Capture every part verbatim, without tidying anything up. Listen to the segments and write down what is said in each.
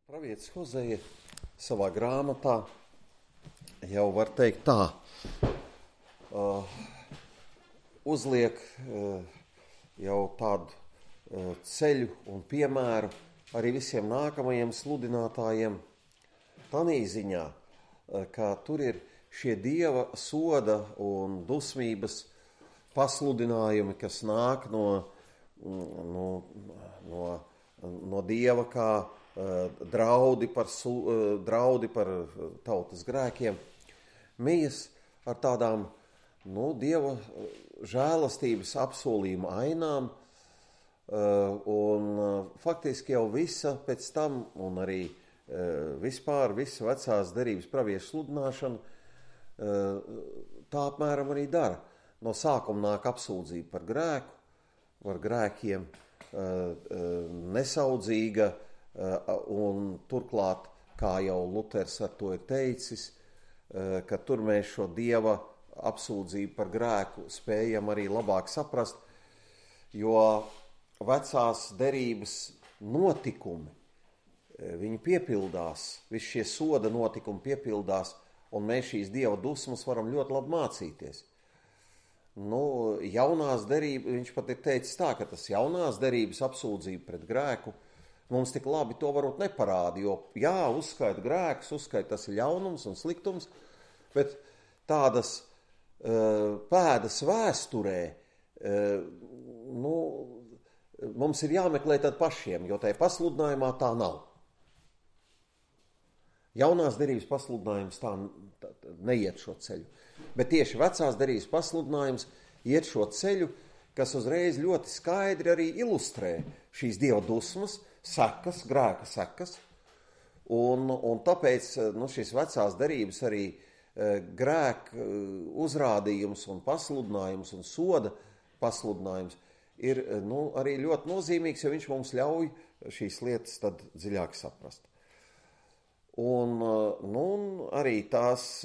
Pravietis Hozeja savā grāmatā jau var teikt tā, uh, uzliek uh, jau tādu uh, ceļu un piemēru arī visiem nākamajiem sludinātājiem tanī ziņā, uh, ka tur ir šie Dieva soda un dusmības pasludinājumi, kas nāk no, no, no, no Dieva kā draudi par, draudi par tautas grēkiem, mijas ar tādām nu, Dieva žēlastības apsolījuma ainām, un faktiski jau visa pēc tam, un arī vispār visa vecās derības praviešu sludināšana, tā apmēram arī dara. No sākuma nāk apsūdzība par grēku, par grēkiem, nesaudzīga, un turklāt, kā jau Luters ar to ir teicis, ka tur mēs šo Dieva apsūdzību par grēku spējam arī labāk saprast, jo vecās derības notikumi, viņi piepildās, visi šie soda notikumi piepildās, un mēs šīs Dieva dusmas varam ļoti labi mācīties. Nu, jaunās derības, viņš pat ir teicis tā, ka tas jaunās derības apsūdzība pret grēku mums tik labi to varbūt neparāda, jo jā, uzskaita grēks, uzskaita tas ir ļaunums un sliktums, bet tādas uh, pēdas vēsturē uh, nu, mums ir jāmeklē tad pašiem, jo tai pasludinājumā tā nav. Jaunās derības pasludinājums tā, tā, tā neiet šo ceļu, bet tieši vecās derības pasludinājums iet šo ceļu, kas uzreiz ļoti skaidri arī ilustrē šīs Dieva dusmas, sekas, grēka sekas, un, un tāpēc nu, šīs vecās derības arī e, grēka uzrādījums un pasludinājums un soda pasludinājums ir nu, arī ļoti nozīmīgs, jo viņš mums ļauj šīs lietas tad dziļāk saprast. Un, nu, arī tās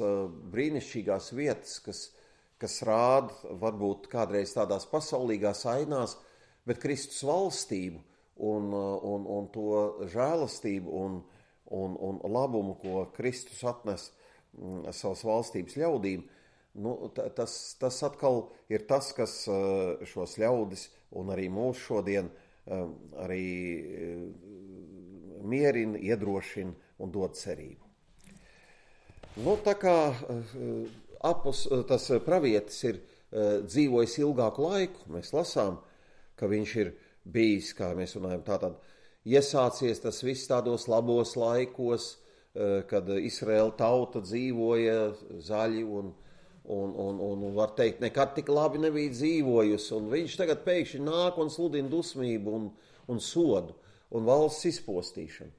brīnišķīgās vietas, kas, kas rāda varbūt kādreiz tādās pasaulīgās ainās, bet Kristus valstību, Un, un, un to žēlastību un, un, un labumu, ko Kristus atnes m, savas valstības ļaudīm, nu, tas, tas atkal ir tas, kas šos ļaudis un arī mūs šodien arī mierina, iedrošina un dod cerību. Nu, tā kā apus, tas pravietis ir dzīvojis ilgāku laiku, mēs lasām, ka viņš ir bijis, kā mēs runājam, tātad iesācies tas viss tādos labos laikos, kad Izraēla tauta dzīvoja zaļi un, un, un, un var teikt, nekad tik labi nebija dzīvojusi, un viņš tagad pēkšņi nāk un sludina dusmību un, un sodu un valsts izpostīšanu.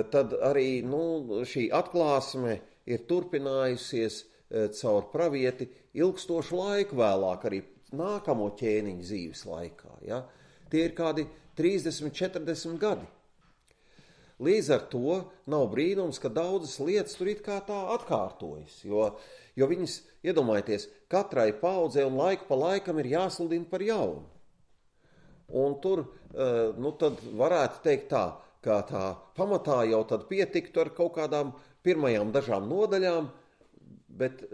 Tad arī nu, šī atklāsme ir turpinājusies caur pravieti ilgstošu laiku vēlāk, arī nākamo ķēniņu dzīves laikā, ja? Tie ir kādi trīsdesmit, četrdesmit gadi. Līdz ar to nav brīnums, ka daudzas lietas tur it kā tā atkārtojas, jo, jo viņas, iedomājieties, katrai paudzei un laiku pa laikam ir jāsludina par jaunu. Un tur, nu tad varētu teikt tā, ka tā pamatā jau tad pietiktu ar kaut kādām pirmajām dažām nodaļām, bet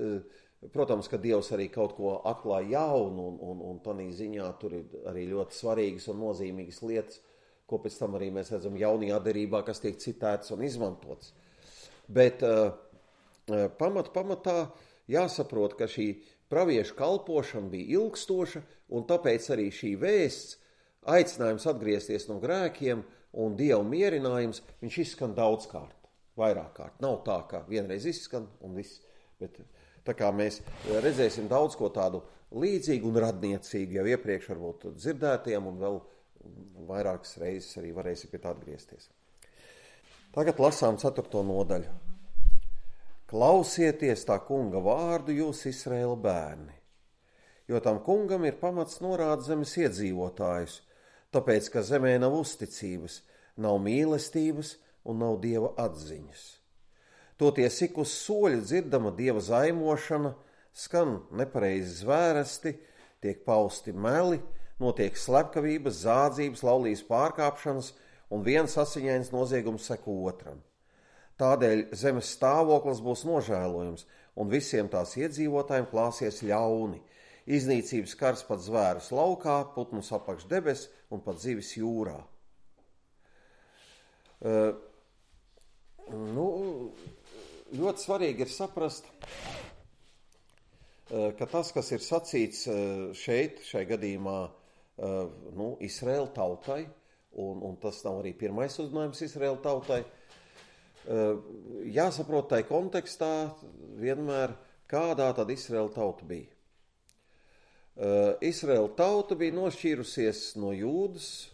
protams, ka Dievs arī kaut ko atklāja jaunu, un, un, un tanī ziņā tur ir arī ļoti svarīgas un nozīmīgas lietas, ko pēc tam arī mēs redzam jaunajā derībā, kas tiek citētas un izmantotas. Bet uh, pamat, pamatā jāsaprot, ka šī praviešu kalpošana bija ilgstoša, un tāpēc arī šī vēsts, aicinājums atgriezties no grēkiem un Dieva mierinājums, viņš izskan daudzkārt, vairāk kārt. Nav tā, ka vienreiz izskan un viss, bet tā kā mēs redzēsim daudz ko tādu līdzīgu un radniecīgu jau iepriekš varbūt dzirdētiem un vēl vairākas reizes arī varēsim pie tā atgriezties. Tagad lasām ceturto nodaļu. Klausieties tā kunga vārdu jūs Izraēla bērni, jo tam kungam ir pamats norāda zemes iedzīvotājus, tāpēc, ka zemē nav uzticības, nav mīlestības un nav Dieva atziņas. Toties ik uz soļa dzirdama Dieva zaimošana, skan nepareizi zvēresti, tiek pausti meli, notiek slepkavības, zādzības, laulības pārkāpšanas un viens asiņains noziegums seko otram. Tādēļ zemes stāvoklis būs nožēlojams, un visiem tās iedzīvotājiem klāsies ļauni. Iznīcības kars pat zvērus laukā, putnus apakš debes un pat zivis jūrā. Uh, nu, ļoti svarīgi ir saprast, uh, ka tas, kas ir sacīts uh, šeit, šai gadījumā, uh, nu, Izraēla tautai, un, un tas nav arī pirmais uzmanības Izraēla tautai, uh, jāsaprot tai kontekstā vienmēr, kādā tad Izraēla tauta bija. Uh, Izraēla tauta bija nošķīrusies no Jūdas,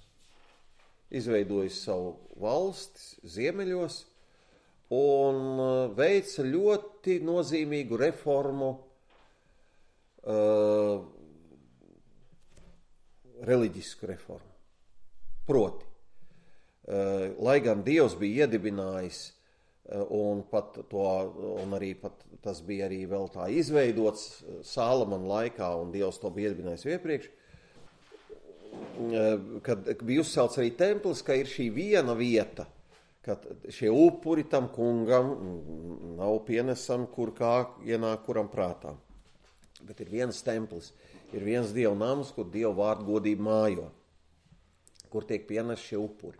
izveidojusi savu valsti ziemeļos un veica ļoti nozīmīgu reformu, uh, reliģisku reformu. Proti, uh, lai gan Dievs bija iedibinājis, uh, un, pat to, un arī pat tas bija arī vēl tā izveidots Sālamana laikā, un Dievs to bija iedibinājis iepriekš, kad bija uzcelts arī templis, ka ir šī viena vieta, kad šie upuri tam kungam nav pienesami, kur kā ienāk kuram prātā. Bet ir viens templis, ir viens Dieva nams, kur Dieva vārdu godība mājo, kur tiek pienes šie upuri.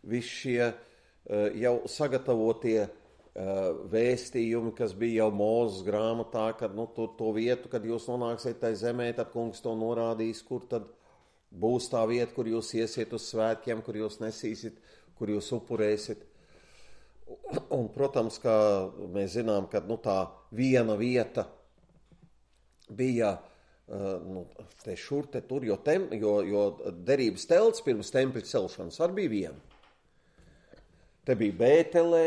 Visi šie jau sagatavotie vēstījumi, kas bija jau Mūzes grāmatā, kad nu, to, to vietu, kad jūs nonāksiet tai zemē, tad kungs to norādīs, kur tad būs tā vieta, kur jūs iesiet uz svētkiem, kur jūs nesīsit, kur jūs upurēsit. Un, protams, kā mēs zinām, ka nu, tā viena vieta bija nu, te šur, te tur, jo, tem, jo, jo derības telts pirms tempļa celšanas arī bija viena. Te bija Bētelē,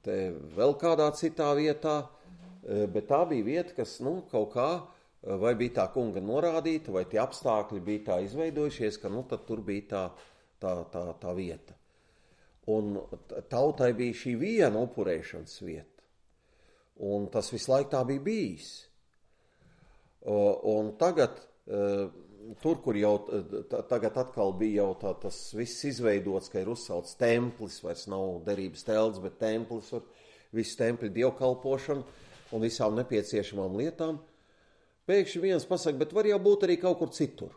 te vēl kādā citā vietā, bet tā bija vieta, kas nu, kaut kā vai bija tā kunga norādīta, vai tie apstākļi bija tā izveidojušies, ka nu, tad tur bija tā, tā, tā, tā vieta. Un tautai bija šī viena upurēšanas vieta. Un tas visu laiku tā bija bijis. Un tagad, tur, kur jau tagad atkal bija jau tā, tas viss izveidots, ka ir uzcelts templis, vairs nav derības telts, bet templis ar visu templi dievkalpošanu un visām nepieciešamām lietām, pēkšņi viens pasaka, bet var jau būt arī kaut kur citur.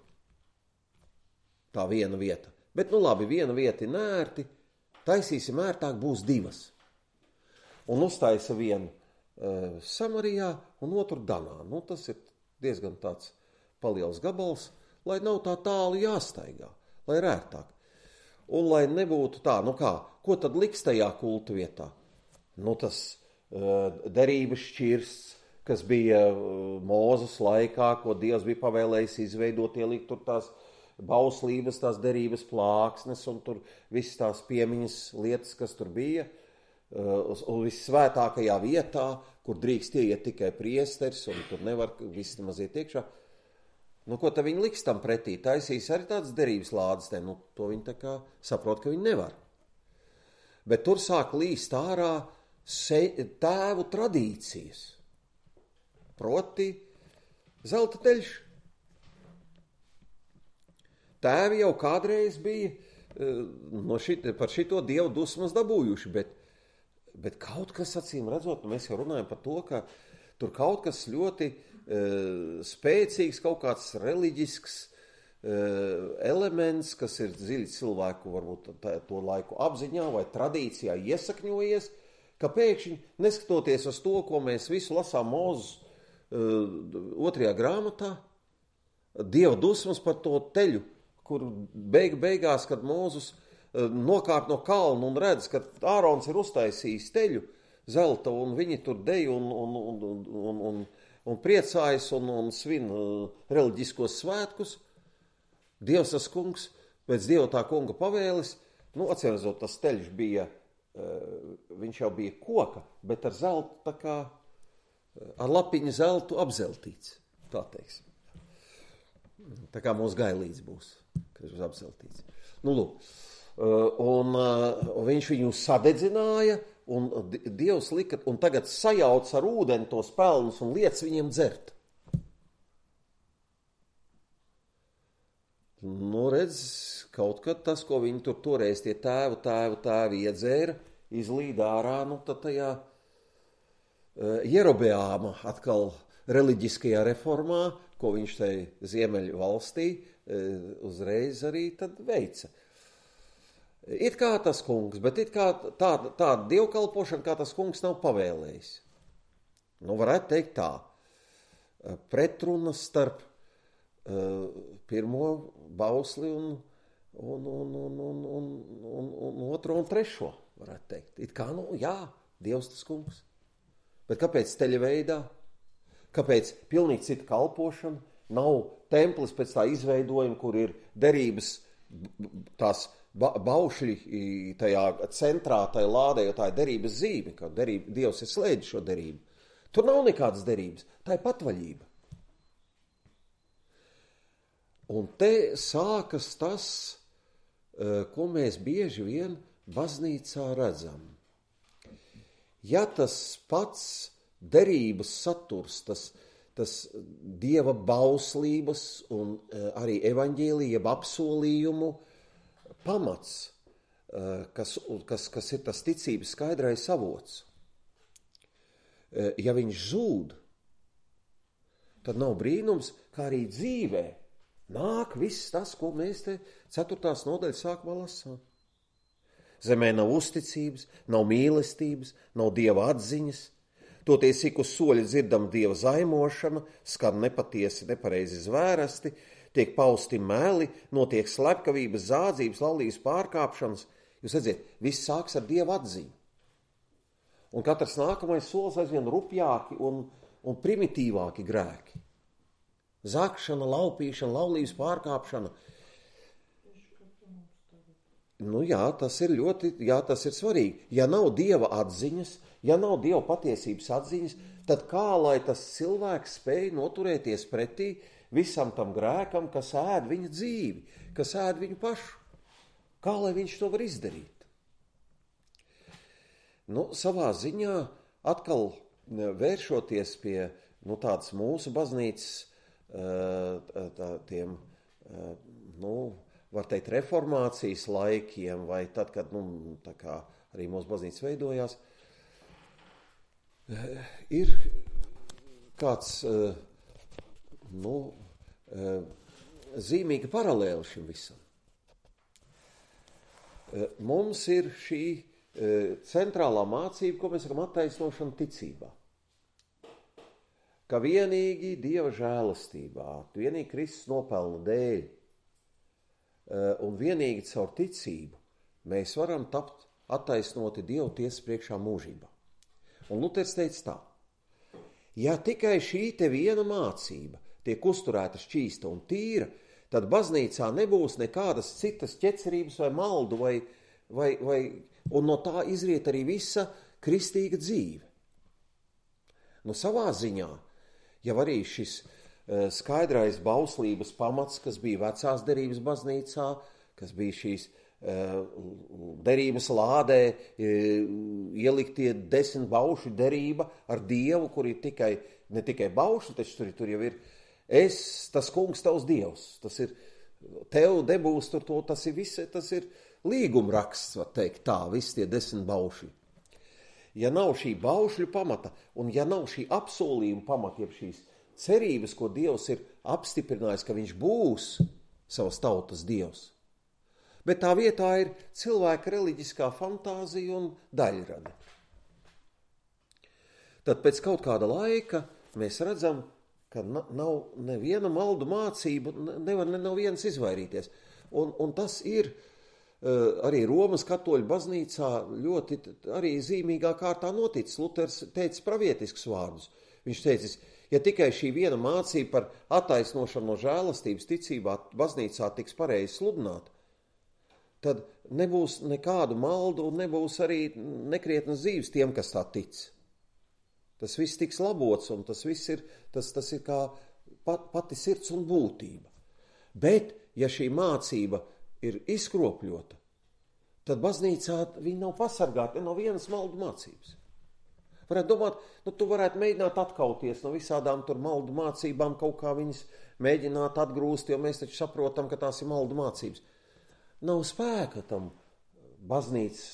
Tā viena vieta. Bet nu labi, viena vieta ir nērti, taisīsim ērtāk, būs divas. Un uztaisa vienu uh, Samarijā un otru Danā. Nu, tas ir diezgan tāds paliels gabals, lai nav tā tālu jāstaigā, lai ir ērtāk. Un lai nebūtu tā, nu kā, ko tad liks tajā kulta vietā? Nu tas uh, derības šķirsts, kas bija Mūzes laikā, ko Dievs bija pavēlējis izveidot, ielikt tur tās bauslības, tās derības plāksnes un tur visas tās piemiņas lietas, kas tur bija, un vissvētākajā vietā, kur drīkst ieiet tikai priesteris, un tur nevar visi nemaz iet iekšā. Nu, ko tad viņi liks tam pretī? Taisīs arī tādas derības lādes, ne? Nu, to viņi tā kā saprot, ka viņi nevar. Bet tur sāk līst ārā se, tēvu tradīcijas. Proti, zelta teļš. Tēvi jau kādreiz bija no šit, par šito dievu dusmas dabūjuši, bet, bet kaut kas, acīm redzot, mēs jau runājam par to, ka tur kaut kas ļoti uh, spēcīgs, kaut kāds reliģisks uh, elements, kas ir dziļi cilvēku, varbūt tā, to laiku apziņā vai tradīcijā iesakņojies, ka pēkšņi, neskatoties uz to, ko mēs visu lasām Mūzes otrajā grāmatā, Dieva dusmas par to teļu, kur beig, beigās, kad Mūzes nokāp no kalna un redz, ka Ārons ir uztaisījis teļu zelta, un viņi tur dej un, un, un, un, un, un priecājas un, un svin reliģiskos svētkus. Dievs tas kungs, pēc Dieva tā kunga pavēles, nu, atcerēzot, tas teļš bija, viņš jau bija koka, bet ar zeltu tā kā ar lapiņu zeltu apzeltīts, tā teiksim. Tā kā mūsu gailīts būs, kad būs apzeltīts. Nu, lūk, un, un viņš viņu sadedzināja, un Dievs lika, un tagad sajauc ar ūdeni tos pelnus un liec viņiem dzert. Nu, redz, kaut kad tas, ko viņi tur toreiz tie tēvu, tēvu, tēvi iedzēra, izlīd ārā, nu tad tajā uh, Jerobeāma atkal reliģiskajā reformā, ko viņš tai Ziemeļu valstī uh, uzreiz arī tad veica. It kā tas kungs, bet it kā tāda, tāda dievkalpošana, kā tas kungs nav pavēlējis. Nu, varētu teikt tā, pretrunas starp uh, pirmo bausli un, un, un, un, un, un, un, un otro un trešo, varētu teikt. It kā, nu, jā, Dievs tas kungs. Bet kāpēc teļa veidā? Kāpēc pilnīgi cita kalpošana? Nav templis pēc tā izveidojuma, kur ir derības tās ba- baušļi tajā centrā, tajā lādē, jo tā ir derības zīme, ka derība, Dievs ir slēdis šo derību. Tur nav nekādas derības, tā ir patvaļība. Un te sākas tas, ko mēs bieži vien baznīcā redzam. Ja tas pats derības saturs, tas, tas Dieva bauslības un arī evaņģēlija apsolījumu pamats, kas, kas, kas ir tas ticības skaidrais avots, ja viņš zūd, tad nav brīnums, kā arī dzīvē nāk viss tas, ko mēs te ceturtās nodaļas sākumā lasām. Zemē nav uzticības, nav mīlestības, nav Dieva atziņas, toties ik uz soļa dzirdam Dieva zaimošana, skan nepatiesi, nepareizi zvērasti, tiek pausti meli, notiek slepkavības, zādzības, laulības pārkāpšanas. Jūs redziet, viss sāks ar Dieva atziņu. Un katrs nākamais solis aizvien rupjāki un, un primitīvāki grēki. Zakšana, laupīšana, laulības pārkāpšana. Nu jā, tas ir ļoti, jā, tas ir svarīgi. Ja nav Dieva atziņas, ja nav Dieva patiesības atziņas, tad kā lai tas cilvēks spēj noturēties pretī visam tam grēkam, kas ēd viņa dzīvi, kas ēd viņu pašu? Kā lai viņš to var izdarīt? Nu, savā ziņā atkal vēršoties pie nu, tādas mūsu baznīcas tā, tiem, nu, var teikt, reformācijas laikiem, vai tad, kad nu, tā kā arī mūsu baznīca veidojās, ir kāds nu, zīmīga paralēla šim visam. Mums ir šī centrālā mācība, ko mēs sakam attaisnošana ticībā. Ka vienīgi Dieva žēlastībā, vienīgi Kristus nopelna dēļ un vienīgi caur ticību mēs varam tapt attaisnoti Dievu tiesas priekšā mūžībā. Un Luters teica tā, ja tikai šī te viena mācība tiek uzturēta šķīsta un tīra, tad baznīcā nebūs nekādas citas ķecerības vai maldu vai, vai, vai un no tā izriet arī visa kristīga dzīve. Nu, savā ziņā, jau arī šis uh, skaidrais bauslības pamats, kas bija vecās derības baznīcā, kas bija šīs uh, derības lādē, uh, ieliktie desmit baušu derība ar Dievu, kur ir tikai, ne tikai baušu, taču tur, tur jau ir es, tas kungs, tavs Dievs, tas ir tev debūs tur to, tas ir visi, tas ir līgumraksts, var teikt tā, visi tie desmit baušļi. Ja nav šī baušļu pamata, un ja nav šī apsolījuma pamata, jeb šīs cerības, ko Dievs ir apstiprinājis, ka viņš būs savas tautas Dievs, bet tā vietā ir cilvēka reliģiskā fantāzija un daļrada. Tad pēc kaut kāda laika mēs redzam, ka nav neviena maldu mācība, nevar ne no vienas izvairīties. Un, un tas ir arī Romas katoļu baznīcā ļoti arī zīmīgā kārtā noticis. Luters teica pravietiskus vārdus. Viņš teicis, ja tikai šī viena mācība par attaisnošanu no žēlastības ticībā baznīcā tiks pareizi sludināta, tad nebūs nekādu maldu un nebūs arī nekrietnas dzīves tiem, kas tā tic. Tas viss tiks labots un tas viss ir, tas, tas ir kā pat, pati sirds un būtība. Bet, ja šī mācība ir izkropļota, tad baznīcā viņi nav pasargāti no vienas maldu mācības. Varētu domāt, nu tu varētu mēģināt atkauties no visādām tur maldu mācībām, kaut kā viņas mēģināt atgrūst, jo mēs taču saprotam, ka tās ir maldu mācības. Nav spēka tam baznīcas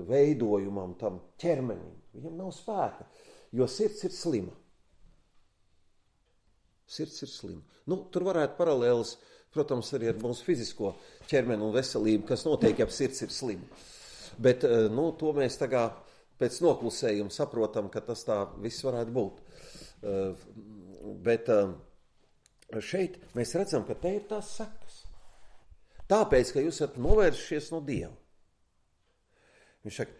veidojumam, tam ķermenim. Viņam nav spēka, jo sirds ir slima. Sirds ir slima. Nu, tur varētu paralēlis, protams, arī ar mūsu fizisko ķermeni un veselību, kas notiek, ja sirds ir slima. Bet, nu, to mēs tagad pēc noklusējuma saprotam, ka tas tā viss varētu būt. Bet šeit mēs redzam, ka te ir tās sekas. Tāpēc, ka jūs esat novēršies no Dieva. Viņš saka,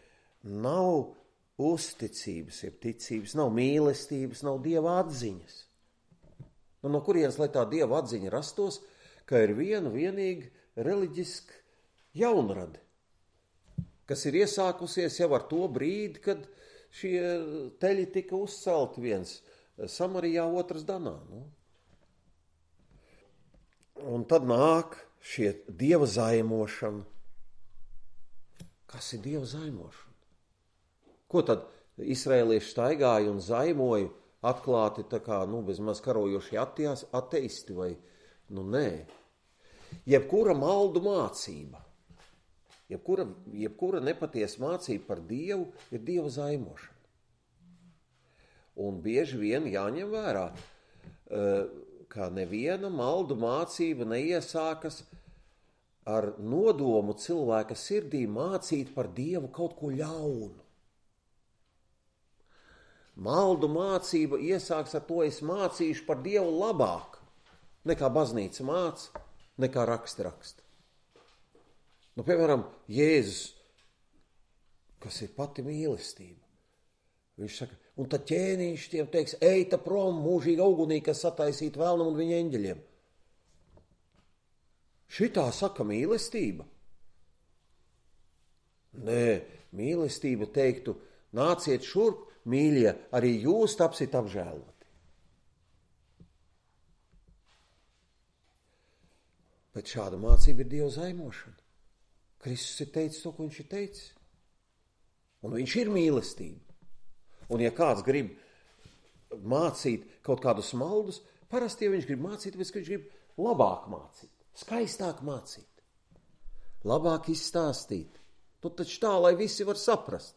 nav uzticības, ir ticības, nav mīlestības, nav Dieva atziņas. Nu, no kurienes, lai tā Dieva atziņa rastos, ka ir viena vienīga reliģiska jaunrade, kas ir iesākusies jau ar to brīdi, kad šie teļi tika uzcelti, viens Samarijā, otrs Danā. Nu. Un tad nāk šie Dieva zaimošana. Kas ir Dieva zaimošana? Ko tad izraēlieši staigāja un zaimoja atklāti tā kā, nu, bezmaz karojošie atejās, ateisti vai, nu, nē. Jebkura maldu mācība, jebkura, jebkura nepatiesa mācība par Dievu ir Dieva zaimošana. Un bieži vien jāņem vērā, ka neviena maldu mācība neiesākas ar nodomu cilvēka sirdī mācīt par Dievu kaut ko ļaunu. Maldu mācība iesāks ar to, es mācīšu par Dievu labāk, nekā baznīca māca, nekā raksti raksta. Nu, piemēram, Jēzus, kas ir pati mīlestība. Viņš saka, un tad ķēniņš tiem teiks, eita prom mūžīgi augunī, kas sataisīta vēlnam un viņa eņģeļiem. Šitā saka mīlestība? Nē, mīlestība teiktu, nāciet šurp, mīļie, arī jūs tapsit apžēloti. Bet šāda mācība ir Dieva zaimošana. Kristus ir teicis to, ko viņš ir teicis. Un viņš ir mīlestība. Un ja kāds grib mācīt kaut kādus maldus, parasti, ja viņš grib mācīt, tāpēc, ka viņš grib labāk mācīt. Skaistāk mācīt, labāk izstāstīt. Nu, taču tā, lai visi var saprast.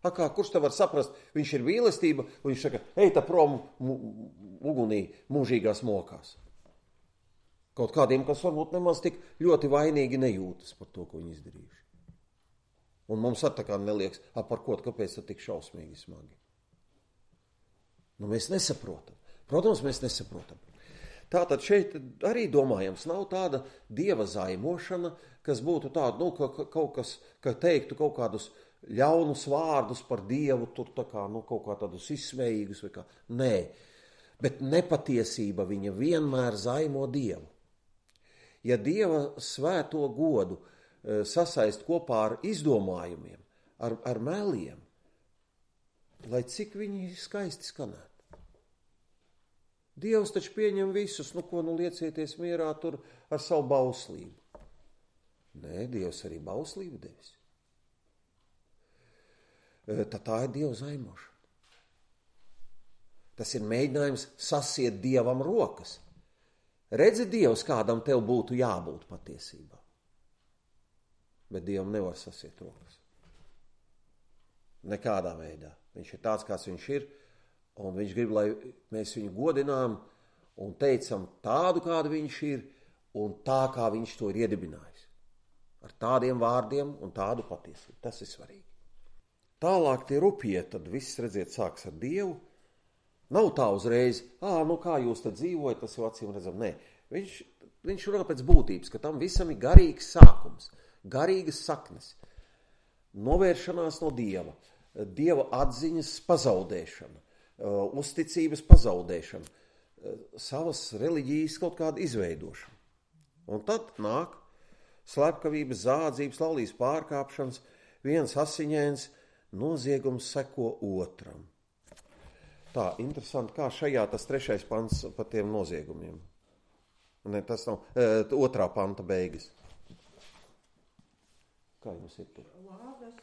A kā, kurš te var saprast? Viņš ir mīlestība, un viņš saka, ej tā prom ugunī mūžīgās mokās. Kaut kādiem, kas varbūt nemaz tik ļoti vainīgi nejūtas par to, ko viņi izdarījuši. Un mums at tā kā neliekas, a par ko, kāpēc tad tik šausmīgi smagi? Nu, mēs nesaprotam. Protams, mēs nesaprotam. Tātad šeit arī domājams, nav tāda Dieva zaimošana, kas būtu tāda, nu, ka, ka, kaut kas, ka teiktu kaut kādus ļaunus vārdus par Dievu, tur tā kā, nu, kaut kā tādus izsmējīgus vai kā. Nē, bet nepatiesība viņa vienmēr zaimo Dievu. Ja Dieva svēto godu e, sasaist kopā ar izdomājumiem, ar, ar meliem, lai cik viņi skaisti skanētu. Dievs taču pieņem visus, nu ko, nu liecieties mierā tur ar savu bauslību. Nē, Dievs arī bauslību devis. Tad tā ir Dieva zaimošana. Tas ir mēģinājums sasiet Dievam rokas. Redzi, Dievs, kādam tev būtu jābūt patiesībā. Bet Dievam nevar sasiet rokas. Nekādā veidā. Viņš ir tāds, kāds viņš ir. Un viņš grib, lai mēs viņu godinām un teicam tādu, kādu viņš ir, un tā, kā viņš to ir iedibinājis. Ar tādiem vārdiem un tādu patiesību. Tas ir svarīgi. Tālāk tie rupjie, tad viss, redziet, sāks ar Dievu. Nav tā uzreiz, ā, nu kā jūs tad dzīvojat, tas jau acīm redzam. Nē, viņš, viņš runā pēc būtības, ka tam visam ir garīgs sākums, garīgas saknes, novēršanās no Dieva, Dieva atziņas pazaudēšana, uzticības pazaudēšana, savas reliģijas kaut kāda izveidošana. Un tad nāk slepkavības, zādzības, laulības pārkāpšanas, viens asiņains noziegums seko otram. Tā, interesanti, kā šajā tas trešais pants par tiem noziegumiem. Ne, tas nav, e, otrā panta beigas. Kā jums ir tur? Lādes,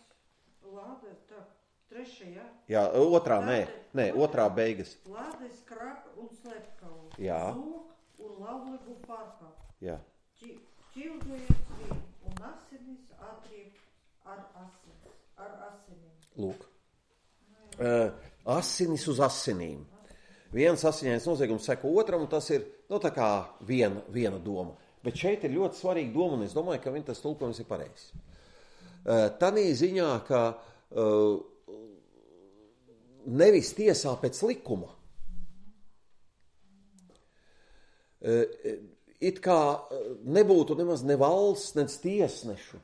lādes, tā, Trešajā? Jā, otrā, nē, nē, otrā beigas. Lādes, krapa un slepkavu. Jā. Zūk un lavligu pārkāp. Jā. Ķildojies vien un asinis atriep ar asinis, ar asinim. Lūk. Uh, asinis uz asinīm. Viens asiņains noziegums seko otram, un tas ir, nu, tā kā viena, viena doma. Bet šeit ir ļoti svarīga doma, un es domāju, ka viņa tas tulkojums ir pareizs. Uh, Tanī ziņā, ka uh, nevis tiesā pēc likuma. It kā nebūtu nemaz ne valsts, nec tiesnešu,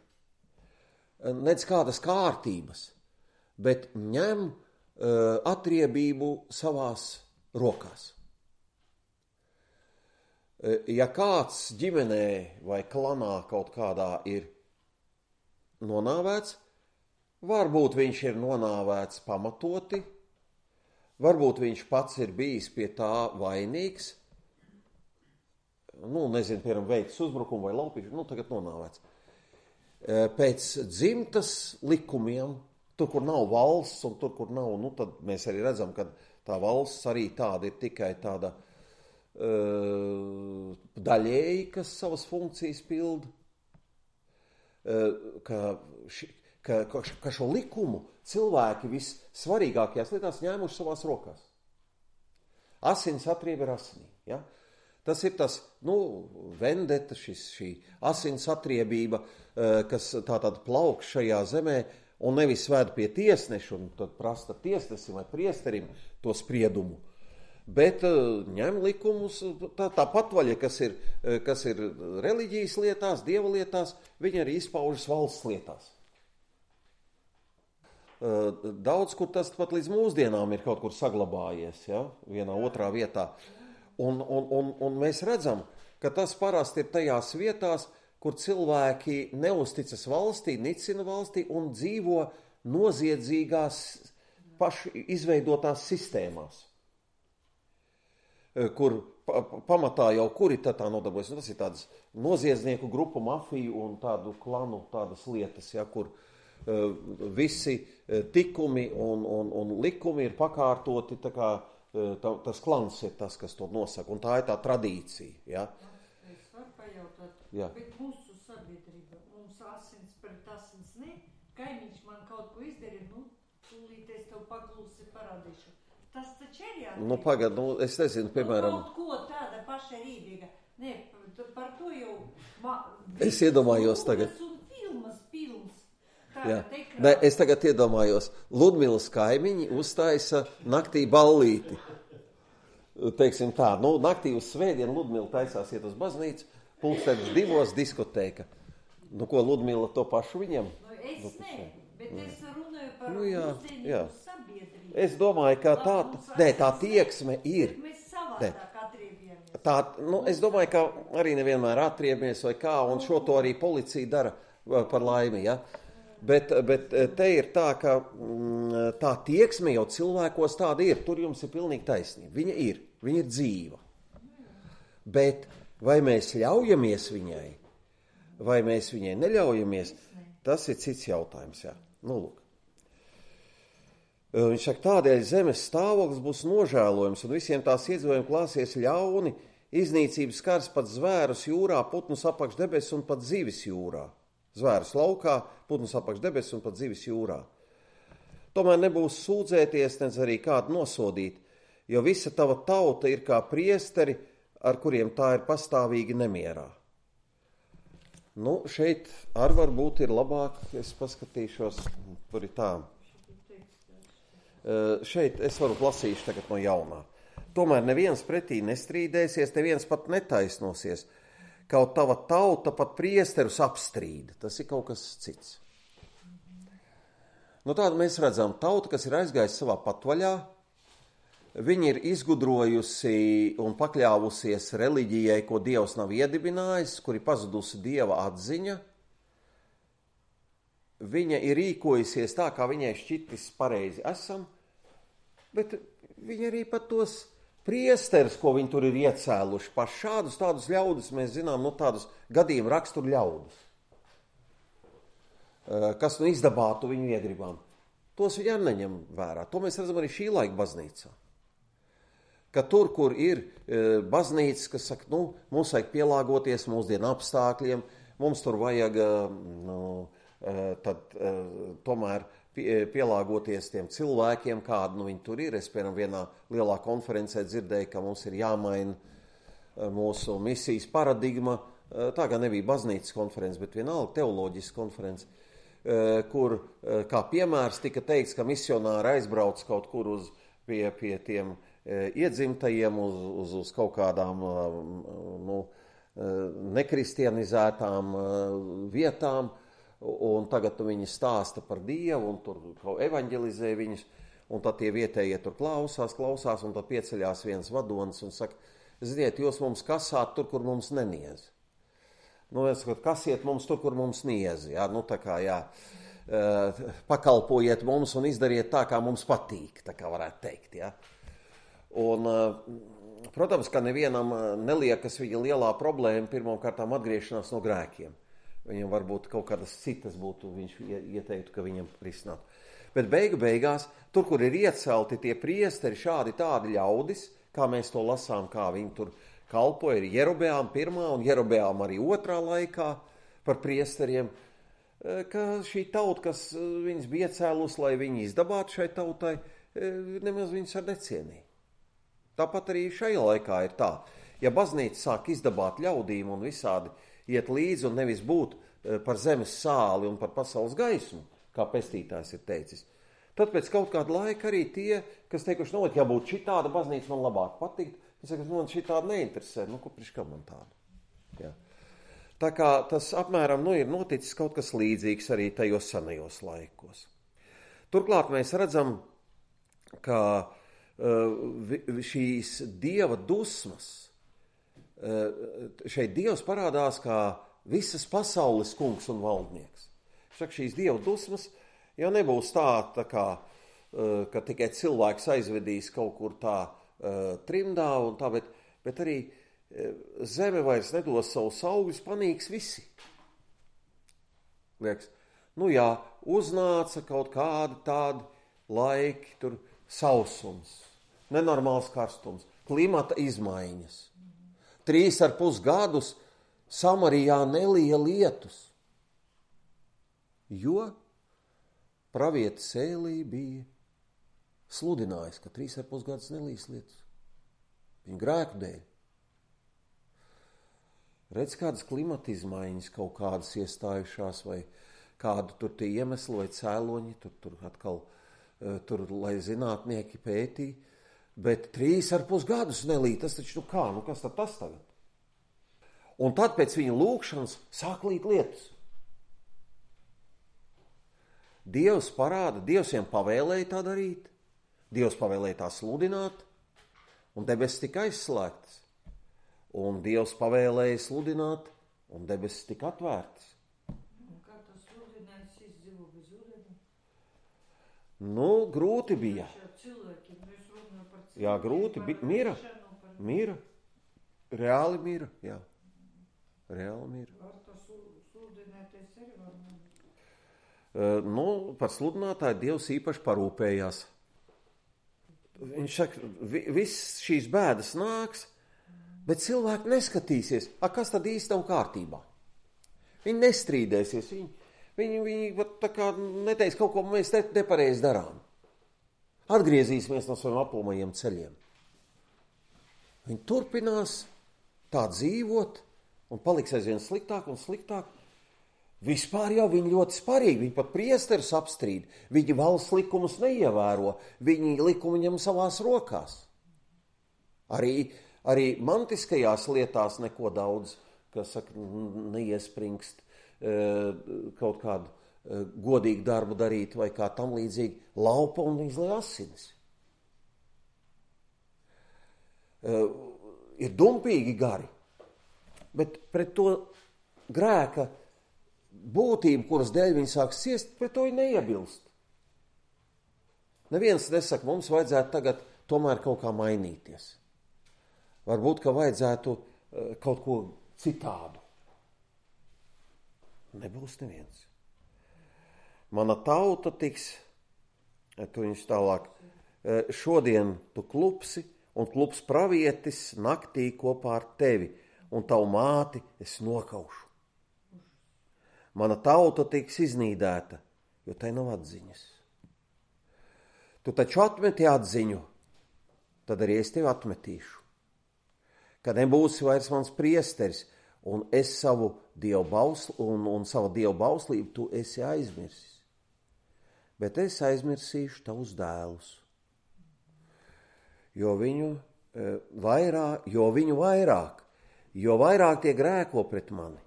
nec kādas kārtības, bet ņem atriebību savās rokās. Ja kāds ģimenē vai klanā kaut kādā ir nonāvēts, varbūt viņš ir nonāvēts pamatoti, varbūt viņš pats ir bijis pie tā vainīgs, nu, nezinu, piemēram, veicis uzbrukumu vai laupīšu, nu, tagad nonāvēts. Pēc dzimtas likumiem, tur, kur nav valsts un tur, kur nav, nu, tad mēs arī redzam, ka tā valsts arī tāda ir tikai tāda uh, daļēji, kas savas funkcijas pilda, uh, ka ši, Ka, ka šo likumu cilvēki vissvarīgākajās lietās ņēmuši savās rokās. Asins atrieba ar asinī. Ja? Tas ir tas, nu, vendeta, šis, šī asins atriebība, kas tātad plauk šajā zemē un nevis ved pie tiesneša un tad prasta tiesnesim vai priesterim to spriedumu, bet ņem likumus, tā, tā patvaļa, kas ir, kas ir reliģijas lietās, dieva lietās, viņi arī izpaužas valsts lietās. Daudz, kur tas pat līdz mūsdienām ir kaut kur saglabājies, ja? Vienā otrā vietā. Un, un, un, un mēs redzam, ka tas parasti ir tajās vietās, kur cilvēki neusticas valstī, nicina valstī un dzīvo noziedzīgās paši izveidotās sistēmās, kur pa, pamatā jau kuri tā nodarbojas. Tas ir tādas noziedznieku grupu, mafiju un tādu klanu tādas lietas, ja, kur uh, visi tikumi un, un, un likumi ir pakārtoti, tā kā tā, tas klans ir tas, kas to nosaka, un tā ir tā tradīcija. Ja? Es varu pajautāt, Jā. Bet mūsu sabiedrība, mums asins pret asins ne, kaimiņš man kaut ko izdarīja, nu, tūlīt es tev paklūsi parādīšu. Tas taču ir jāatīt. Nu, pagad, nu, es nezinu, piemēram... Nu, kaut ko tāda paša rīdīga. Ne, par to jau... Ma, es iedomājos tagad. Un filmas, films. Jā. Ne, es tagad iedomājos, Ludmilas kaimiņi uztaisa naktī ballīti. Teiksim tā, nu, naktī uz svētdienu Ludmila taisās iet uz baznīcu, pulkstenis divos diskotēka. Nu, ko Ludmila to pašu viņam? Nu, es nu, ne, bet mm. es runāju par nu, jā, jā. sabiedrību. Es domāju, ka tā, ne, tā tieksme ir. Mēs savādāk atriebjamies. Tā, nu, es domāju, ka arī nevienmēr atriebamies vai kā, un šo to arī policija dara par laimi, ja? Bet, bet te ir tā, ka tā tieksme jau cilvēkos tāda ir. Tur jums ir pilnīgi taisnība. Viņa ir, viņa ir dzīva. Bet vai mēs ļaujamies viņai, vai mēs viņai neļaujamies, tas ir cits jautājums. Jā. Nu, lūk. Viņš saka, tādēļ zemes stāvoklis būs nožēlojums, un visiem tās iedzīvojumiem klāsies ļauni, iznīcības skars pat zvērus jūrā, putnus apakš debesis un pat zivis jūrā. Zvērus laukā, putnus apakš debesis un pat zivis jūrā. Tomēr nebūs sūdzēties, nedz arī kādu nosodīt, jo visa tava tauta ir kā priesteri, ar kuriem tā ir pastāvīgi nemierā. Nu, šeit ar varbūt ir labāk, es paskatīšos, tur ir tā. Uh, šeit es varu lasīšu tagad no jaunā. Tomēr neviens pretī nestrīdēsies, neviens pat netaisnosies. Kaut tava tauta pat priesterus apstrīda. Tas ir kaut kas cits. Nu, tādu mēs redzam tautu, kas ir aizgājusi savā patvaļā. Viņa ir izgudrojusi un pakļāvusies reliģijai, ko Dievs nav iedibinājis, kur ir pazudusi Dieva atziņa. Viņa ir rīkojusies tā, kā viņai šķitis pareizi esam, bet viņa arī pat tos priesteris, ko viņi tur ir iecēluši, paši šādus tādus ļaudis, mēs zinām, nu tādus gadījumu raksturu ļaudis, kas nu izdabātu viņu iedribām. tos viņi arī neņem vērā. To mēs redzam arī šī laika baznīcā. Ka tur, kur ir e, baznīcas, kas saka, nu, mums vajag pielāgoties mūsdienu apstākļiem, mums tur vajag, nu, e, tad e, tomēr pie, pielāgoties tiem cilvēkiem, kādi nu, viņi tur ir. Es, piemēram, vienā lielā konferencē dzirdēju, ka mums ir jāmaina mūsu misijas paradigma. Tā kā nebija baznīcas konference, bet vienalga teoloģiska konference, kur, kā piemērs, tika teikts, ka misionāri aizbrauc kaut kur uz pie, pie tiem iedzimtajiem, uz, uz, uz kaut kādām nu, nekristianizētām vietām, un tagad viņi stāsta par Dievu, un tur evanģelizē viņus, un tad tie vietējie tur klausās, klausās, un tad pieceļās viens vadonis un saka, ziniet, jūs mums kasāt tur, kur mums neniez. Nu, es saku, kasiet mums tur, kur mums niez, jā, nu tā kā, jā, pakalpojiet mums un izdariet tā, kā mums patīk, tā kā varētu teikt, jā. Un, protams, ka nevienam neliekas viņa lielā problēma pirmām kārtām atgriešanās no grēkiem. Viņam varbūt kaut kādas citas būtu, viņš ieteiktu, ka viņam risināt. Bet beigu beigās, tur, kur ir iecelti tie priesteri, šādi tādi ļaudis, kā mēs to lasām, kā viņi tur kalpoja, ir Jerobeām pirmā un Jerobeām arī otrā laikā par priesteriem, ka šī tauta, kas viņas bija cēlus, lai viņi izdabātu šai tautai, nemaz viņas ar necienīja. Tāpat arī šajā laikā ir tā. Ja baznīca sāk izdabāt ļaudīm un visādi iet līdzi un nevis būt par zemes sāli un par pasaules gaismu, kā pestītājs ir teicis, tad pēc kaut kāda laika arī tie, kas teikuši, nu, ja būtu šitāda baznīca, man labāk patikt, es saku, man šitāda neinteresē, nu, ko priekš kā man tāda. Jā. Tā kā tas apmēram, nu, ir noticis kaut kas līdzīgs arī tajos senajos laikos. Turklāt mēs redzam, ka šīs Dieva dusmas, šeit Dievs parādās kā visas pasaules kungs un valdnieks. Saka, šīs Dieva dusmas jau nebūs tā, tā kā, ka tikai cilvēks aizvedīs kaut kur tā trimdā un tā, bet, bet arī zeme vairs nedos savus augļus, panīks visi. Liekas, nu jā, uznāca kaut kādi tādi laiki, tur sausums, nenormāls karstums, klimata izmaiņas. Trīs ar pus gadus Samarijā nelija lietus, jo pravietis Ēlī bija sludinājis, ka trīs ar pus gadus nelīs lietus. Viņa grēku dēļ. Redz, kādas klimata izmaiņas kaut kādas iestājušās, vai kādu tur tie iemesli vai cēloņi, tur, tur atkal tur, lai zinātnieki pētī, bet trīs ar pus gadus nelīt, tas taču, nu kā, nu kas tad tas tagad? Un tad pēc viņa lūkšanas sāk līt lietus. Dievs parāda, Dievs viņam pavēlēja tā darīt, Dievs pavēlēja tā sludināt, un debesis tika aizslēgtas. Un Dievs pavēlēja sludināt, un debesis tika atvērtas. Nu, grūti bija. Jā, grūti bija. Mira, mira. Reāli mira, jā. Reāli mira. Uh, nu, par sludinātāju Dievs īpaši parūpējās. Viņš saka, vi, viss šīs bēdas nāks, bet cilvēki neskatīsies, a, kas tad īsti nav kārtībā. Viņi nestrīdēsies, viņi Viņi, viņi tā kā neteiks kaut ko, mēs te nepareizi darām. Atgriezīsimies no saviem aplomajiem ceļiem. Viņi turpinās tā dzīvot un paliks aizvien sliktāk un sliktāk. Vispār jau viņi ļoti sparīgi, viņi pat priesterus apstrīd, viņi valsts likumus neievēro, viņi likumu ņem savās rokās. Arī, arī mantiskajās lietās neko daudz, kas saka, neiespringst. Kaut kādu godīgu darbu darīt vai kā tam līdzīgi, laupa un izlej asinis. Ir dumpīgi gari, bet pret to grēka būtību, kuras dēļ viņi sāk ciest, pret to viņi neiebilst. Neviens nesaka, mums vajadzētu tagad tomēr kaut kā mainīties. Varbūt, ka vajadzētu kaut ko citādu. Nebūs neviens. Mana tauta tiks Tu viņš tālāk. Šodien tu klupsi, un klups pravietis naktī kopā ar tevi, un tavu māti es nokaušu. Mana tauta tiks iznīdēta, jo tai nav atziņas. Tu taču atmeti atziņu, tad arī es tevi atmetīšu. Kad nebūsi vairs mans priesteris, un es savu dievu bausl, un, un savu dievu bauslību tu esi aizmirsis. Bet es aizmirsīšu tavus dēlus, jo viņu, e, vairāk, jo viņu vairāk, jo vairāk tie grēko pret mani,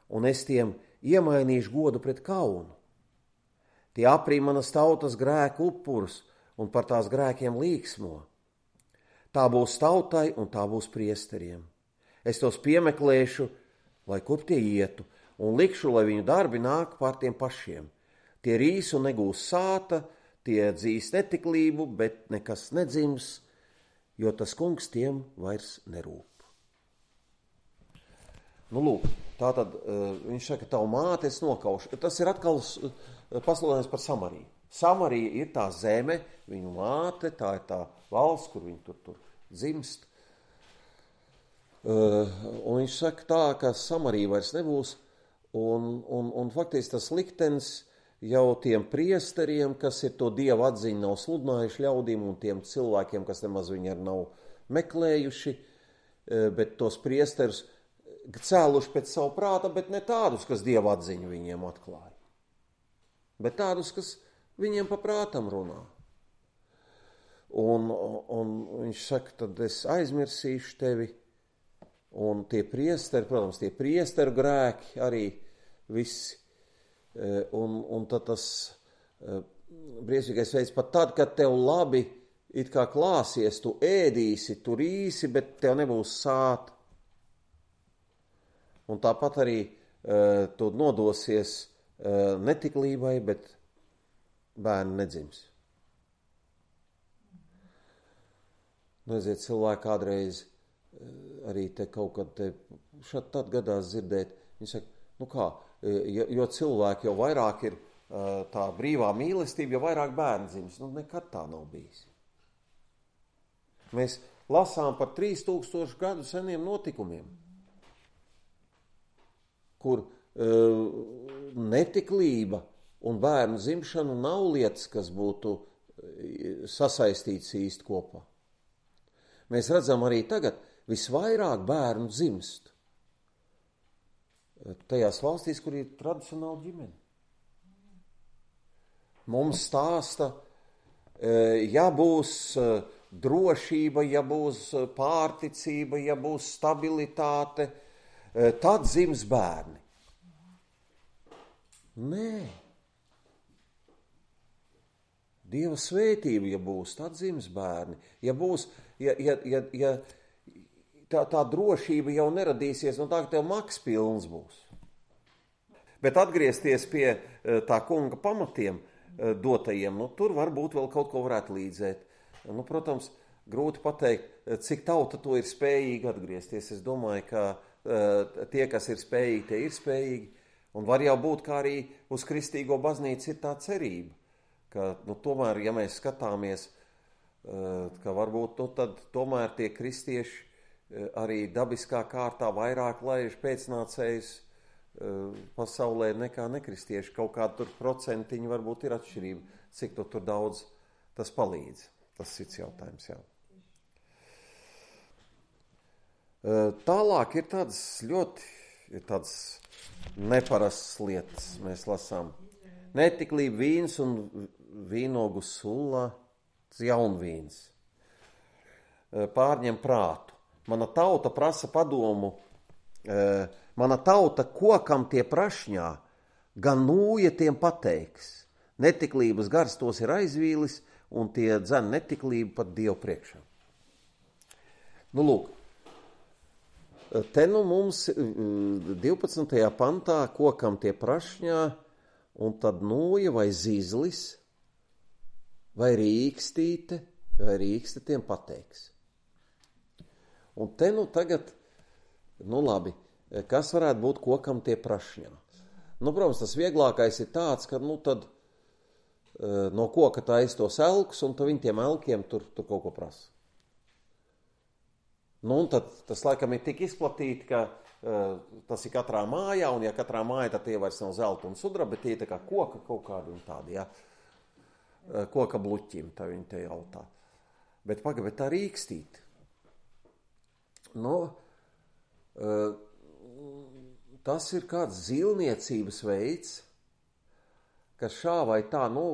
un es tiem iemainīšu godu pret kaunu. Tie aprī manas tautas grēku upurus un par tās grēkiem līksmo. Tā būs tautai un tā būs priesteriem. Es tos piemeklēšu, lai kur tie ietu, un likšu, lai viņu darbi nāk pār tiem pašiem. Tie rīs un negūs sāta, tie dzīs netiklību, bet nekas nedzims, jo tas kungs tiem vairs nerūp. Nu, lūk, tā tad uh, viņš saka, tavu māti es nokaušu. Tas ir atkal uh, pasludinājums par Samariju. Samarija ir tā zeme, viņu māte, tā ir tā valsts, kur viņi tur, tur dzimst. Uh, un viņš saka tā, ka Samarija vairs nebūs, un, un, un faktiski tas liktenis jau tiem priesteriem, kas ir to dievu atziņu nav sludinājuši ļaudīm, un tiem cilvēkiem, kas nemaz viņi arī nav meklējuši, uh, bet tos priesterus cēluši pēc savu prāta, bet ne tādus, kas dievu atziņu viņiem atklāja, bet tādus, kas viņiem pa prātam runā. Un, un viņš saka, tad es aizmirsīšu tevi, un tie priesteri, protams, tie priesteru grēki arī visi, un, un tad tas briesmīgais veids, pat tad, kad tev labi it kā klāsies, tu ēdīsi, tu rīsi, bet tev nebūs sāta. Un tāpat arī uh, tu nodosies uh, netiklībai, bet bērni nedzims. Nu, aiziet, cilvēki kādreiz uh, arī te kaut kad te šad tad gadās dzirdēt. Viņi saka, nu kā, jo, jo cilvēki jau vairāk ir uh, tā brīvā mīlestība, jo vairāk bērni dzims. Nu, nekad tā nav bijis. Mēs lasām par trīs tūkstošu gadu seniem notikumiem, kur uh, netiklība un bērnu dzimšana nav lietas, kas būtu sasaistīts īsti kopā. Mēs redzam arī tagad, visvairāk bērnu dzimst tajās valstīs, kur ir tradicionāla ģimene. Mums stāsta, ja būs drošība, ja būs pārticība, ja būs stabilitāte, tad dzims bērni. Nē. Dieva svētība, ja būs, tad dzims bērni. Ja būs, ja, ja, ja, ja tā, tā drošība jau neradīsies, no tā, ka tev maks pilns būs. Bet atgriezties pie tā kunga pamatiem dotajiem, nu, tur varbūt vēl kaut ko varētu līdzēt. Nu, protams, grūti pateikt, cik tauta to ir spējīgi atgriezties. Es domāju, ka tie, kas ir spējīgi, tie ir spējīgi, un var jau būt, kā arī uz kristīgo baznīcu ir tā cerība, ka, nu, tomēr, ja mēs skatāmies, ka varbūt, nu, tad tomēr tie kristieši arī dabiskā kārtā vairāk laiž pēcnācējus pasaulē nekā nekristieši. Kaut kāda tur procentiņa varbūt ir atšķirība, cik to tur daudz tas palīdz. Tas ir cits jautājums, jā. Tālāk ir tādas ļoti ir tādas neparastas lietas. Mēs lasām netiklība vīns un vīnogu sulla, jaunvīns. Pārņem prātu. Mana tauta prasa padomu, mana tauta kokam tie prašņā, gan nūja tiem pateiks. Netiklības gars tos ir aizvīlis, un tie dzen netiklību pat Dievu priekšā. Nu, lūk, te nu mums divpadsmitajā pantā kokam tie prašņā, un tad nūja vai zīzlis, vai rīkstīte, vai rīkste tiem pateiks. Un te nu tagad, nu labi, kas varētu būt kokam tie prašņā? Nu, protams, tas vieglākais ir tāds, ka, nu, tad no koka taisa tos elkus, un tu viņi tiem elkiem tur, tur kaut ko prasa. Nu, un tad tas laikam ir tik izplatīti, ka uh, tas ir katrā mājā, un ja katrā mājā, tad tie vairs nav zelta un sudra, bet tie tā kā koka kaut kādi un tādi, jā. Uh, koka bluķim, tā viņi te jautā. Bet paga, bet tā rīkstīt. Nu, uh, tas ir kāds zilniecības veids, ka šā vai tā, nu,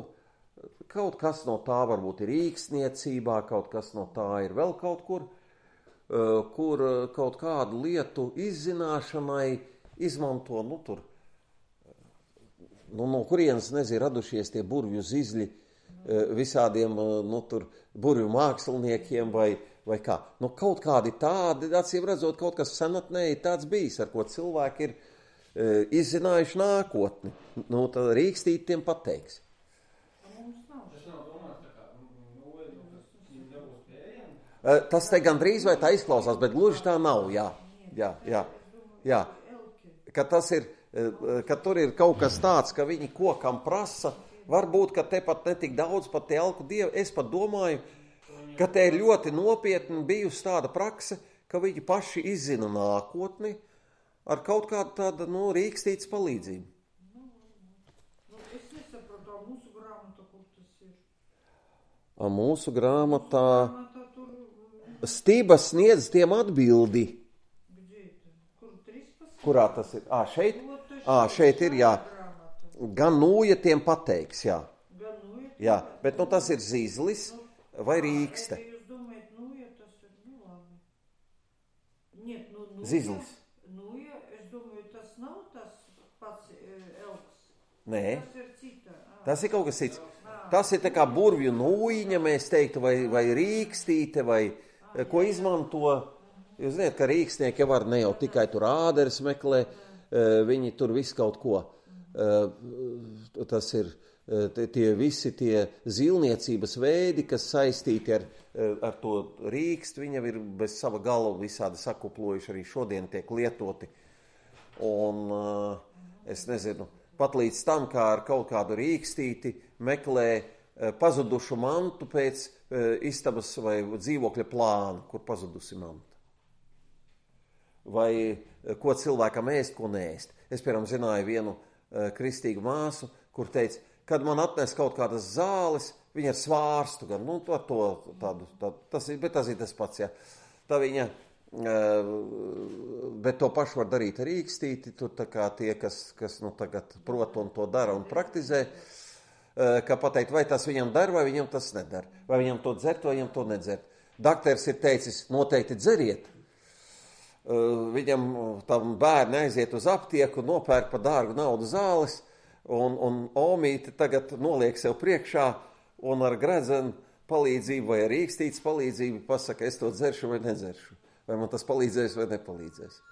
kaut kas no tā varbūt ir rīkstniecībā, kaut kas no tā ir vēl kaut kur, kur kaut kādu lietu izzināšanai izmanto, nu, tur, nu, no kurienes, nezinu, radušies tie burvju zizļi visādiem, nu, tur, burvju māksliniekiem vai, vai kā. Nu, kaut kādi tādi, acīm redzot, kaut kas senatnē ir tāds bijis, ar ko cilvēki ir izzinājuši nākotni. Nu, tad rīkstīt tiem pateiks. Tas te gandrīz vai tā izklausās, bet gluži tā nav, jā, jā, jā, jā. Ka tas ir, ka tur ir kaut kas tāds, ka viņi kokam prasa, varbūt, ka te pat netik daudz pat te elku dievu, es pat domāju, ka te ir ļoti nopietni bijusi tāda prakse, ka viņi paši izzina nākotni ar kaut kādu tādu, nu, rīkstītas palīdzību. Es nesaprotu, mūsu grāmatā, kur tas ir? A mūsu grāmatā... Stības sniedz tiem atbildi. Kurā tas ir? Ā, šeit? Ā, šeit ir, jā. Gan nūja tiem pateiks, jā. Jā, bet nu tas ir zizlis vai rīkste. Zizlis. Nūja, es domāju, tas nav tas pats elks. Nē, tas ir kaut kas cits. Tas ir tā kā burvju nūjiņa, mēs teiktu, vai, vai rīkstīte, vai... ko izmanto, jūs zināt, ka rīkstnieki var ne jau tikai tur āderes meklē, viņi tur visu kaut ko. Tas ir tie visi tie zilniecības veidi, kas saistīti ar, ar to rīkstu, viņi ir bez sava gala visādi sakuplojuši, arī šodien tiek lietoti. Un es nezinu, pat līdz tam, kā ar kaut kādu rīkstīti meklē pazudušu mantu pēc istabas vai dzīvokļa plāna, kur pazudusi manta. Vai ko cilvēkam ēst, ko neēst. Es, piemēram, zināju vienu kristīgu māsu, kur teica, kad man atnes kaut kādas zāles, viņa ar svārstu, gan, nu, to, tādu, tādu, tas ir, bet tas ir tas pats, jā. Tā viņa, bet to pašu var darīt ar rīkstīti, tur tā kā tie, kas, kas nu, tagad prot un to dara un praktizē, ka pateikt, vai tas viņam dar, vai viņam tas nedar. Vai viņam to dzert, vai viņam to nedzert. Dakters ir teicis, noteikti dzeriet. Viņam tam bērni aiziet uz aptieku, nopērk par dārgu naudu zāles, un, un omīte tagad noliek sev priekšā, un ar gredzenu palīdzību vai ar rīkstītes palīdzību pasaka, es to dzeršu vai nedzeršu. Vai man tas palīdzēs vai nepalīdzēs.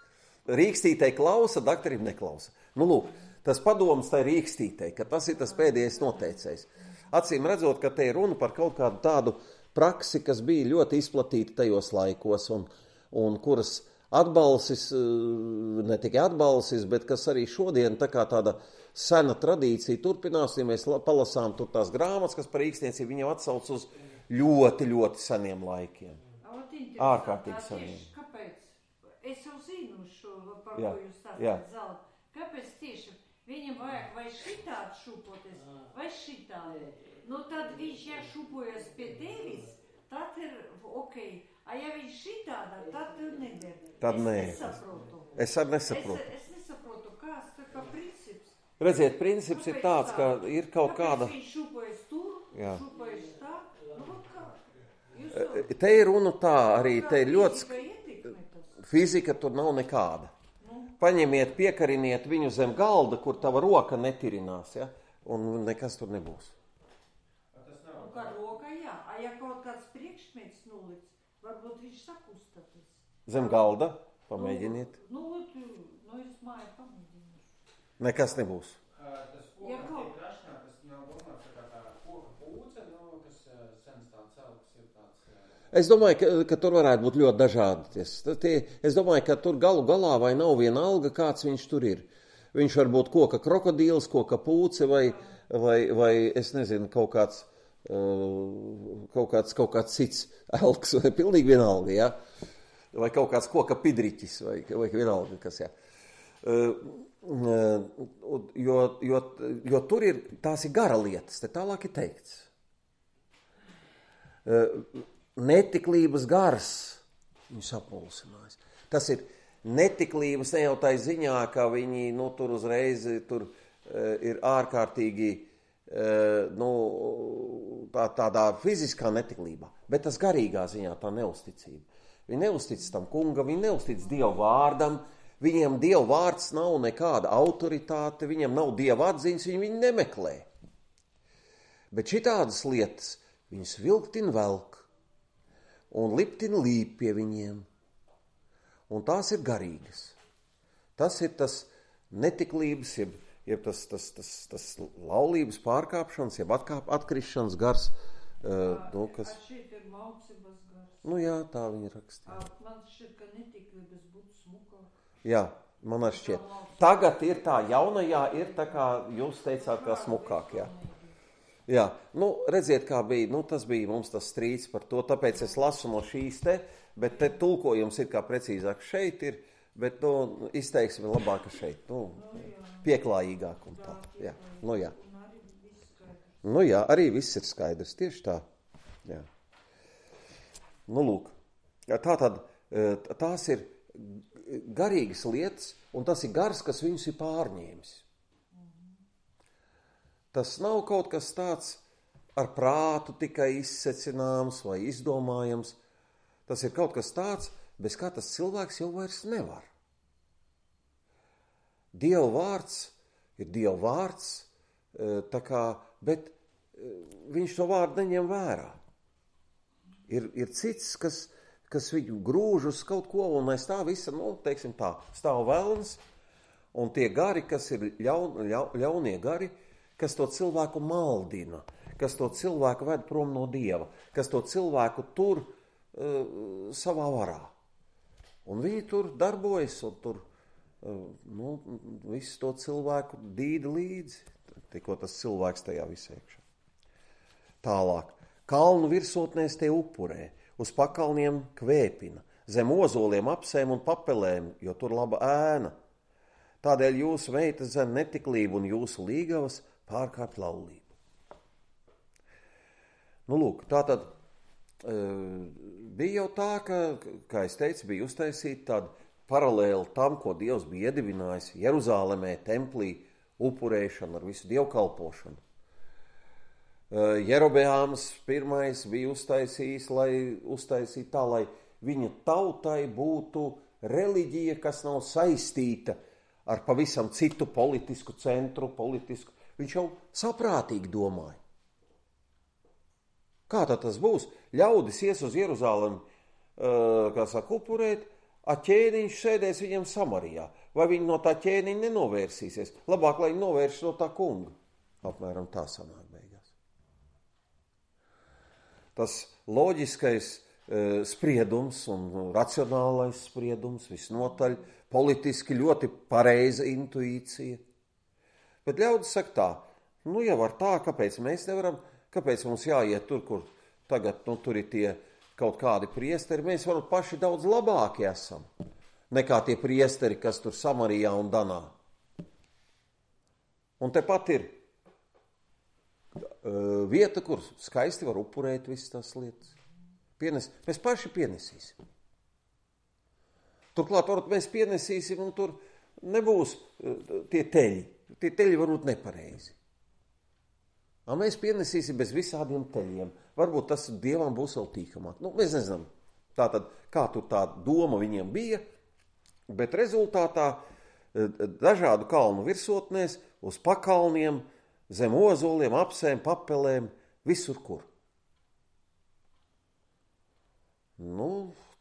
Rīkstītei klausa, dakterim neklausa. Nu, lūk. Tas padoms tai rīkstītei, ka tas ir tas pēdējais noteicējs. Acīm redzot, ka te ir runa par kaut kādu tādu praksi, kas bija ļoti izplatīta tajos laikos, un, un kuras atbalsis, ne tikai atbalsis, bet kas arī šodien tā kā tāda sena tradīcija turpinās, ja mēs palasām tur tās grāmatas, kas par rīkstniecību viņam atsauc uz ļoti, ļoti seniem laikiem. Ārkārtīgi seniem. Kāpēc? Es jau zinu šo, par ko jūs stāstāt zelta. Kāpēc tieši? Viņam vajag vai šitādi šūpoties, vai šitādi. Nu, tad viņš, ja šūpojas pie tevis, tad ir ok. A ja viņš šitādā, tad neder. Tad es nē. nesaprotu. Es arī nesaprotu. Es, es nesaprotu, kāds tā kā princips. Redziet, princips ir tāds, ka ir kaut kāda... Kāpēc viņš šūpojas tur, Jā. šūpojas tā? Nu, kā? Jūs... Te ir runa tā, arī te ir ļoti... Fizika, fizika tur nav nekāda. Paņemiet, piekariniet viņu zem galda, kur tava roka netirinās, ja? Un nekas tur nebūs. Un kā roka, jā. A ja kaut kāds priekšmets nuliks, varbūt viņš sakustaties. Zem galda? Pamēģiniet. Nu, nu, nu es māju pamēģināšu. Nekas nebūs. Tas koka ja kaut... tiek rašanā, tas nav domāts tā kā tā koka pūce, nu, kas sens tāds celks ir tāds... Es domāju, ka, ka tur varētu būt ļoti dažādi. Tie, es domāju, ka tur galu galā vai nav viena alga, kāds viņš tur ir. Viņš var būt koka krokodīls, koka pūce vai, vai, vai es nezinu, kaut kāds, kaut kāds, kaut kāds cits elks, vai pilnīgi vienalga, ja? Vai kaut kāds koka pidriķis, vai, vai vienalga, kas, jā. Jo, jo, jo tur ir, tās ir gara lietas, te tālāk ir teikts. Netiklības gars, viņu sapulsinājis. Tas ir netiklības ne jau tai ziņā, ka viņi, nu, tur uzreiz tur ir ārkārtīgi, nu, tā, tādā fiziskā netiklībā, bet tas garīgā ziņā tā neusticība. Viņi neustic tam kungam, viņi neustic Dievu vārdam, viņiem Dievu vārds nav nekāda autoritāte, viņiem nav Dieva atziņas, viņi viņu nemeklē. Bet šitādas lietas viņus vilktin velk un liptin līp pie viņiem. Un tās ir garīgas. Tas ir tas netiklības, jeb, jeb tas, tas, tas, tas laulības pārkāpšanas, jeb atkāp, atkrišanas gars. Uh, nu, kas... Šeit ir maucības gars. Nu jā, tā viņa rakstīja. Man šķiet, ka netiklības būtu smukāk. Jā, man arī šķiet. Tagad ir tā jaunajā, ir tā kā jūs teicāt, kā smukāk, jā. Jā, nu, redziet, kā bija, nu, tas bija mums tas strīds par to, tāpēc es lasu no šīs te, bet te tulkojums ir kā precīzāk šeit ir, bet, nu, izteiksim labāk šeit, nu, pieklājīgāk un tā, jā, nu, jā. Nu, jā, arī viss ir skaidrs, tieši tā, jā. Nu, lūk, tā tad, tās ir garīgas lietas, un tas ir gars, kas viņus ir pārņēmis. Tas nav kaut kas tāds ar prātu tikai izsecināms vai izdomājams. Tas ir kaut kas tāds, bez kā tas cilvēks jau vairs nevar. Dieva vārds ir Dieva vārds, tā kā, bet viņš to vārdu neņem vērā. Ir, ir cits, kas, kas viņu grūž uz kaut ko, un aiz tā visa, nu, teiksim tā, stāv velns, un tie gari, kas ir ļaun, ļau, ļaunie gari, kas to cilvēku maldina, kas to cilvēku ved prom no Dieva, kas to cilvēku tur uh, savā varā. Un viņi tur darbojas, un tur uh, nu, visu to cilvēku dīda līdzi, tikko tas cilvēks tajā visā iekšā. Tālāk, kalnu virsotnēs tie upurē, uz pakalniem kvēpina, zem ozoliem apsēm un papelēm, jo tur laba ēna. Tādēļ jūsu meitas zem netiklību un jūsu līgavas pārkāpt laulību. Nu, lūk, tā tad e, bija jau tā, ka, kā es teicu, bija uztaisīta tāda paralēli tam, ko Dievs bija iedibinājis Jeruzālemē, templī, upurēšanu ar visu dievkalpošanu. E, Jerobeāms pirmais bija uztaisījis, lai uztaisītu tā, lai viņa tautai būtu reliģija, kas nav saistīta ar pavisam citu politisku centru, politisku. Viņš jau saprātīgi domāja. Kā tad tas būs? Ļaudis ies uz Jeruzālemi, uh, kā saka, upurēt, a ķēniņš sēdēs viņam Samarijā. Vai viņi no tā ķēniņa nenovērsīsies? Labāk, lai viņi novērš no tā kunga. Apmēram tā sanāk beigās. Tas loģiskais uh, spriedums un racionālais spriedums, visnotaļ, politiski ļoti pareiza intuīcija. Bet ļaudis saka tā, nu jau var tā, kāpēc mēs nevaram, kāpēc mums jāiet tur, kur tagad, nu, tur ir tie kaut kādi priesteri, mēs varam paši daudz labāki esam, nekā tie priesteri, kas tur Samarijā un Danā. Un tepat ir uh, vieta, kur skaisti var upurēt visas tās lietas. Pienes, mēs paši pienesīsim. Turklāt, varbūt mēs pienesīsim, un tur nebūs uh, tie teļi. Tie teļi varbūt nepareizi. A mēs pienesīsim bez visādiem teļiem. Varbūt tas Dievam būs vēl tīkamāk. Nu, mēs nezinām, tātad, kā tur tā doma viņiem bija, bet rezultātā dažādu kalnu virsotnēs, uz pakalniem, zem ozoliem, apsēm, papelēm, visur kur. Nu,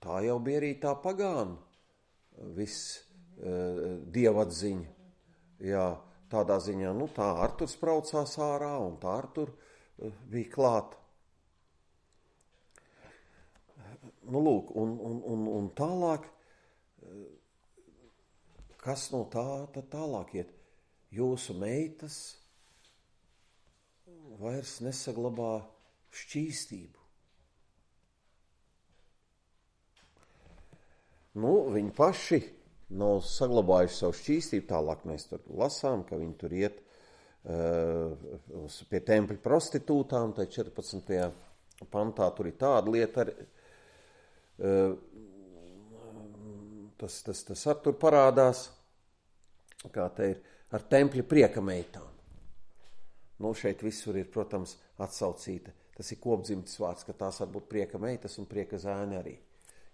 tā jau bija arī tā pagāna, viss uh, dievatziņa. Jā, tādā ziņā, nu tā Arturs braucās ārā un tā Artur uh, bija klāta. Nu lūk, un, un, un, un tālāk, uh, kas no tā tad tālāk iet? Jūsu meitas vairs nesaglabā šķīstību. Nu, viņi paši nav saglabājuši savu šķīstību, tālāk mēs tur lasām, ka viņi tur iet uh, pie tempļa prostitūtām, tai četrpadsmitajā pantā tur ir tāda lieta, ar, uh, tas, tas, tas ar tur parādās, kā te ir, ar tempļa prieka meitām. Nu, šeit visur ir, protams, atsaucīta. Tas ir kopdzimtes vārds, ka tās var būt prieka meitas un prieka zēni arī.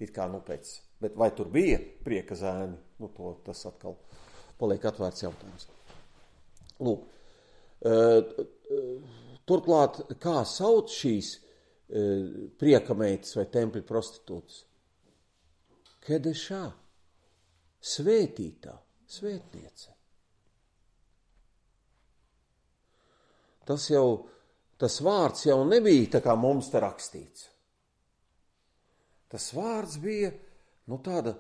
It kā, nu, pēc. Bet vai tur bija prieka zēni? Nu, to, tas atkal paliek atvērts jautājums. Lūk, turklāt, kā sauc šīs prieka meitas vai tempļa prostitūtas? Kedešā, svētītā, svētniece. Tas jau, tas vārds jau nebija tā kā mums te rakstīts. Tas vārds bija, nu tāda,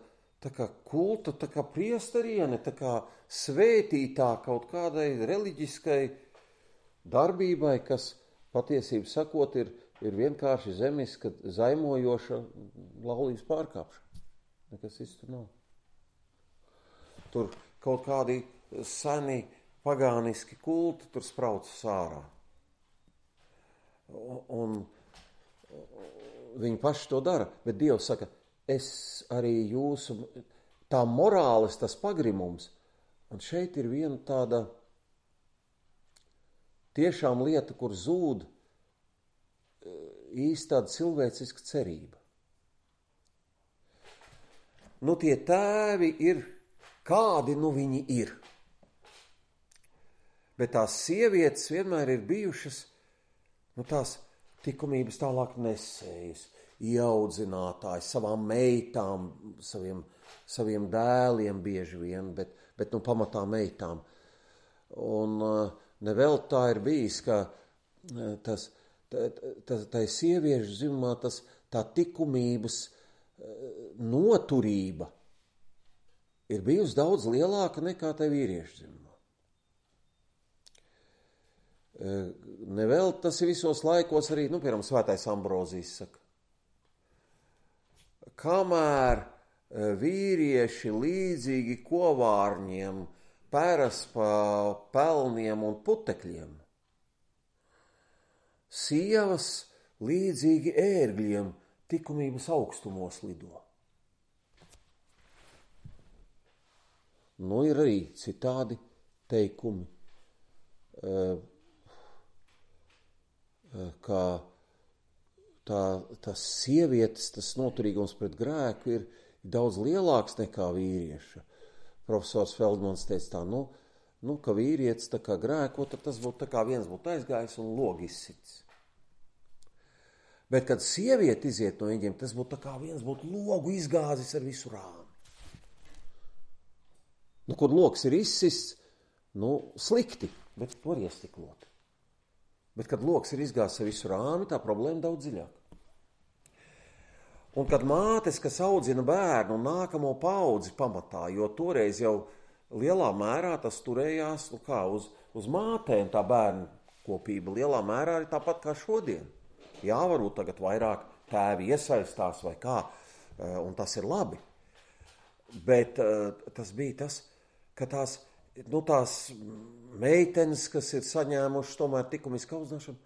tā kā kulta, tā kā priestariene, tā kā svētītā kaut kādai reliģiskai darbībai, kas patiesību sakot ir, ir vienkārši zemiska, zaimojoša laulības pārkāpšana. Nekas cits tur nav. Tur kaut kādi seni pagāniski kulti tur spraucas ārā. Un, un viņi paši to dara, bet Dievs saka, es arī jūsu, tā morāles, tas pagrimums, un šeit ir viena tāda tiešām lieta, kur zūd īsti tāda cilvēciska cerība. Nu tie tēvi ir, kādi nu viņi ir. Bet tās sievietes vienmēr ir bijušas, nu tās tikumības tālāk nesējas, ieaudzinātāji savām meitām, saviem, saviem dēliem bieži vien, bet, bet nu pamatā meitām. Un nevēl tā ir bijis, ka tas, tā, tā, tā sieviešu dzimumā tas, tā tikumības noturība ir bijusi daudz lielāka nekā tai vīriešu dzimumā. Nevēl tas ir visos laikos arī, nu, piemēram, svētais Ambrozijs saka, kamēr vīrieši līdzīgi kovārņiem pēras pa pelniem un putekļiem, sievas līdzīgi ērgļiem tikumības augstumos lido. Nu, ir arī citādi teikumi, kā tā, tas sievietes, tas noturīgums pret grēku ir daudz lielāks nekā vīrieša. Profesors Feldmans teica tā, nu, nu ka vīrietis tā kā grēko, tad tas būtu tā kā viens būtu aizgājis un logi izsits. Bet, kad sieviete iziet no viņiem, tas būtu tā kā viens būtu logu izgāzis ar visu rāmi. Nu, kur logs ir izsists, nu, slikti, bet var iestiklot. Bet, kad loks ir izgāzis ar visu rāmi, tā problēma daudz dziļāk. Un kad mātes, kas audzina bērnu un nākamo paudzi pamatā, jo toreiz jau lielā mērā tas turējās, nu kā, uz, uz mātēm tā bērnu kopība lielā mērā ir tāpat kā šodien. Jā, varbūt tagad vairāk tēvi iesaistās vai kā, un tas ir labi. Bet tas bija tas, ka tās, nu tās meitenes, kas ir saņēmušas tomēr tikumisku audzināšanu,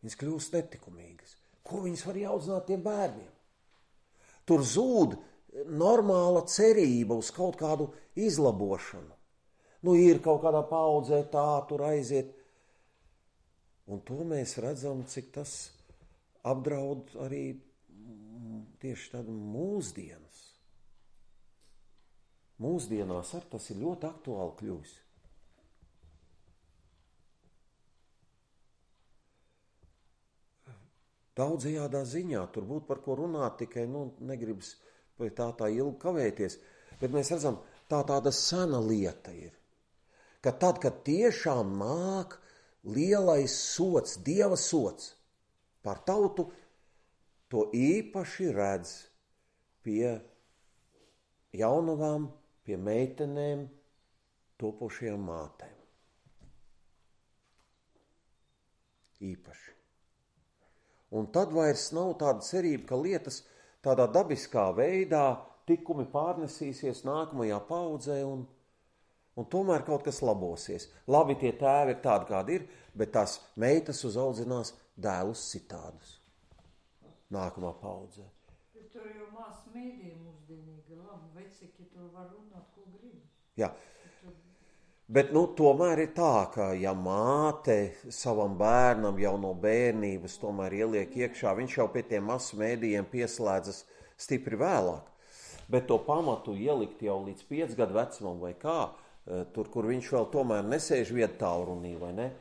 viņas kļūst netikumīgas. Ko viņas var audzināt tiem bērniem? Tur zūd normāla cerība uz kaut kādu izlabošanu. Nu, ir kaut kādā paudzē tā, tur aiziet. Un to mēs redzam, cik tas apdraud arī tieši tādu mūsdienas. Mūsdienās ar tas ir ļoti aktuāli kļūst. Daudzajādā ziņā, tur būtu par ko runāt, tikai nu, negribas vai tā tā ilgi kavēties, bet mēs redzam, tā tāda sena lieta ir, ka tad, kad tiešām nāk lielais sots, Dieva sots par tautu, to īpaši redz pie jaunavām, pie meitenēm, topošajām mātēm. īpaši. Un tad vairs nav tāda cerība, ka lietas tādā dabiskā veidā tikumi pārnesīsies nākamajā paudzē un, un tomēr kaut kas labosies. Labi, tie tēvi ir tādi, kādi ir, bet tās meitas uzaudzinās dēlus citādus nākamā paudzē. Bet tur jau mās mēdī mūsdienīgi labi, veciki tur var runāt, ko grib. Jā, bet nu, tomēr ir tā, ka ja māte savam bērnam jau no bērnības tomēr ieliek iekšā, viņš jau pie tiem masu mēdījiem pieslēdzas stipri vēlāk. Bet to pamatu ielikt jau līdz piec gadu vecumam vai kā, tur, kur viņš vēl tomēr nesēž viedtālrunī, vai ne?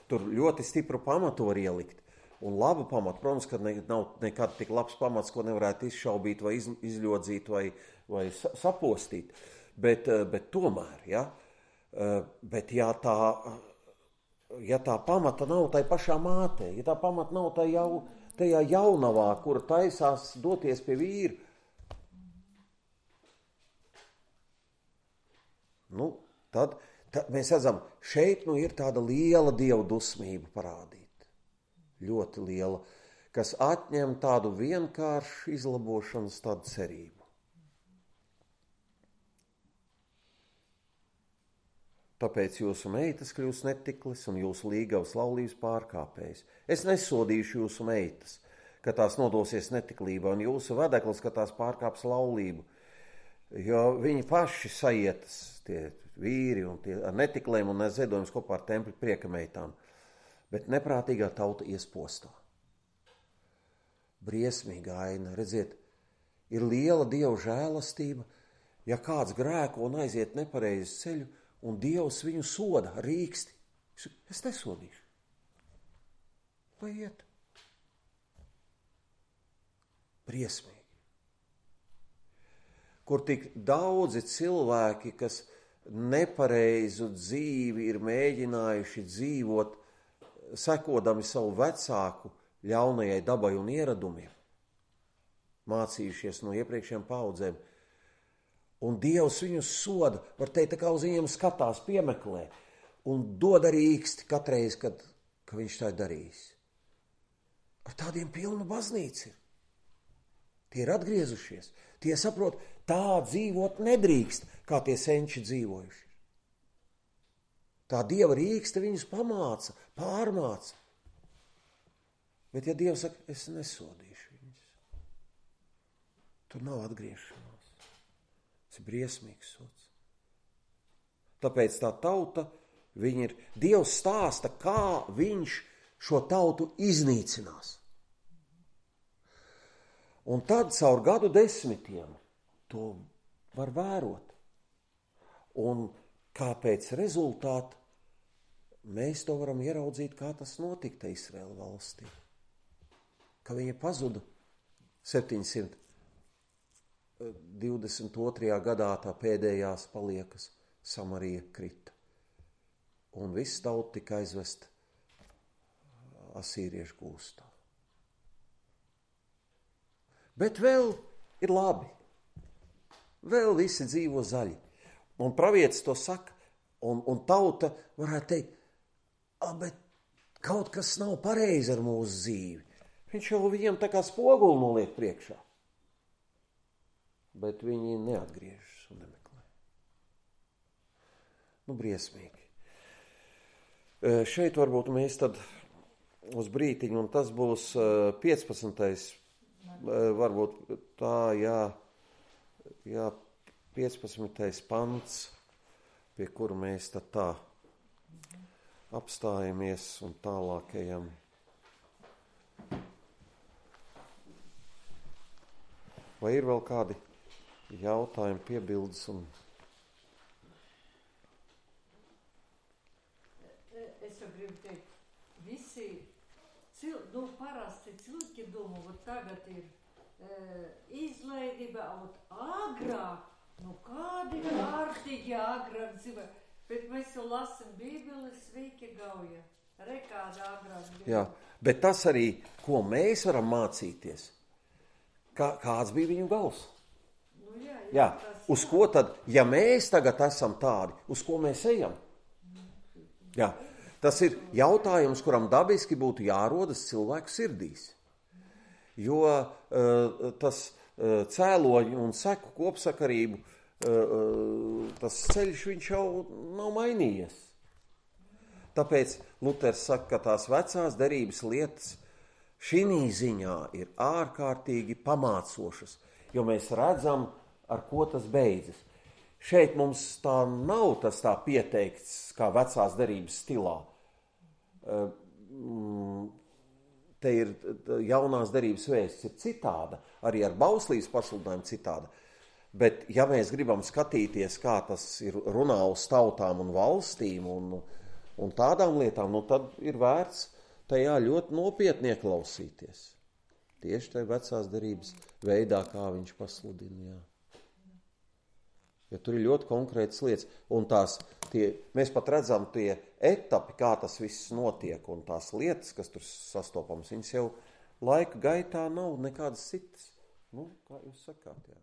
Tur ļoti stipru pamatu var ielikt. Un labu pamatu, protams, ka ne, nav nekad tik labs pamats, ko nevarētu izšaubīt vai iz, izļodzīt vai, vai sapostīt. Bet, bet tomēr, ja, bet ja tā, ja tā pamata nav tai pašā mātē, ja tā pamata nav tai jau, tajā jaunavā, kura taisās doties pie vīra, nu, tad, tad mēs redzam, šeit nu ir tāda liela dievu dusmība parādīta. Ļoti liela, kas atņem tādu vienkāršu izlabošanas tādu cerību. Tāpēc jūsu meitas kļūs netiklis un jūsu līgavas laulības pārkāpējs. Es nesodīšu jūsu meitas, ka tās nodosies netiklībā, un jūsu vedeklis, ka tās pārkāps laulību. Jo viņi paši sajietas, tie vīri un tie ar netiklēm un ziedojums kopā ar templi priekameitām. Bet neprātīgā tauta iespostā. Briesmīga aina, redziet, ir liela Dieva žēlastība, ja kāds grēko un aiziet nepareizi ceļu, un Dievs viņu soda, rīksti. Es nesodīšu. Lai iet. Briesmīgi. Kur tik daudzi cilvēki, kas nepareizu dzīvi ir mēģinājuši dzīvot, sekodami savu vecāku ļaunajai dabai un ieradumiem, mācījušies no iepriekšējām paudzēm. Un Dievs viņus soda, var teikt, tā kā uz viņiem skatās, piemeklē, un dod arī īksti katreiz, kad, kad viņš tā ir darījis. Ar tādiem pilnu baznīca ir. Tie ir atgriezušies. Tie saprot, tā dzīvot nedrīkst, kā tie senči dzīvojuši. Tā Dieva rīkste viņus pamāca, pārmāca. Bet ja Dievs saka, es nesodīšu viņus, tur nav atgriešanās. Tas ir briesmīgs sods. Tāpēc tā tauta, viņa ir, Dievs stāsta, kā viņš šo tautu iznīcinās. Un tad caur gadu desmitiem to var vērot. Un kāpēc rezultāti mēs to varam ieraudzīt, kā tas notika Izraēla valstī. Ka viņa pazuda septiņsimt divdesmit otrajā gadā, tā pēdējās paliekas, Samarija krita. Un viss tauta tika aizvest asīriešu gūstā. Bet vēl ir labi. Vēl visi dzīvo zaļi. Un pravietis to saka, un, un tauta varētu teikt, a, bet kaut kas nav pareizi ar mūsu dzīvi. Viņš jau viņiem tā kā spoguli noliek priekšā. Bet viņi neatgriežas un nemeklē. Nu, briesmīgi. E, šeit varbūt mēs tad uz brītiņu, un tas būs piecpadsmitais, e, varbūt tā, jā, jā, piecpadsmitais pants, pie kura mēs tad tā apstājamies un tālākajam. Vai ir vēl kādi jautājumi, piebildes? Un... Es jau gribu teikt, visi cil... nu, parasti cilvēki domā, ka tagad ir e, izlaidība, un agrāk, nu kādi kārtīgi agrāk dzīvē, bet mēs jau lasam Bībeli, sveiki gauja, rekāda agrāk bija. Jā, bet tas arī, ko mēs varam mācīties, kā, kāds bija viņu gals. Nu, jā, jā, jā, tas, uz ko tad, ja mēs tagad esam tādi, uz ko mēs ejam? Jā, Tas ir jautājums, kuram dabiski būtu jārodas cilvēku sirdīs. Jo uh, tas uh, cēloņu un seku kopsakarību, uh, tas ceļš viņš jau nav mainījies. Tāpēc Luters saka, ka tās vecās derības lietas šī ziņā ir ārkārtīgi pamācošas, jo mēs redzam, ar ko tas beidzas. Šeit mums tā nav tas tā pieteikts, kā vecās derības stilā. Te ir jaunās derības vēsts ir citāda, arī ar bauslības pasludinājumu citāda. Bet ja mēs gribam skatīties, kā tas ir runā uz tautām un valstīm un, un tādām lietām, nu tad ir vērts tajā ļoti nopietni ieklausīties. Tieši tajā vecās derības veidā, kā viņš pasludina, jā. Jo tur ir ļoti konkrētas lietas, un tās, tie, mēs pat redzam tie etapi, kā tas viss notiek, un tās lietas, kas tur sastopams, viņas jau laika gaitā nav nekādas citas. Nu, kā jūs sakāt, jā.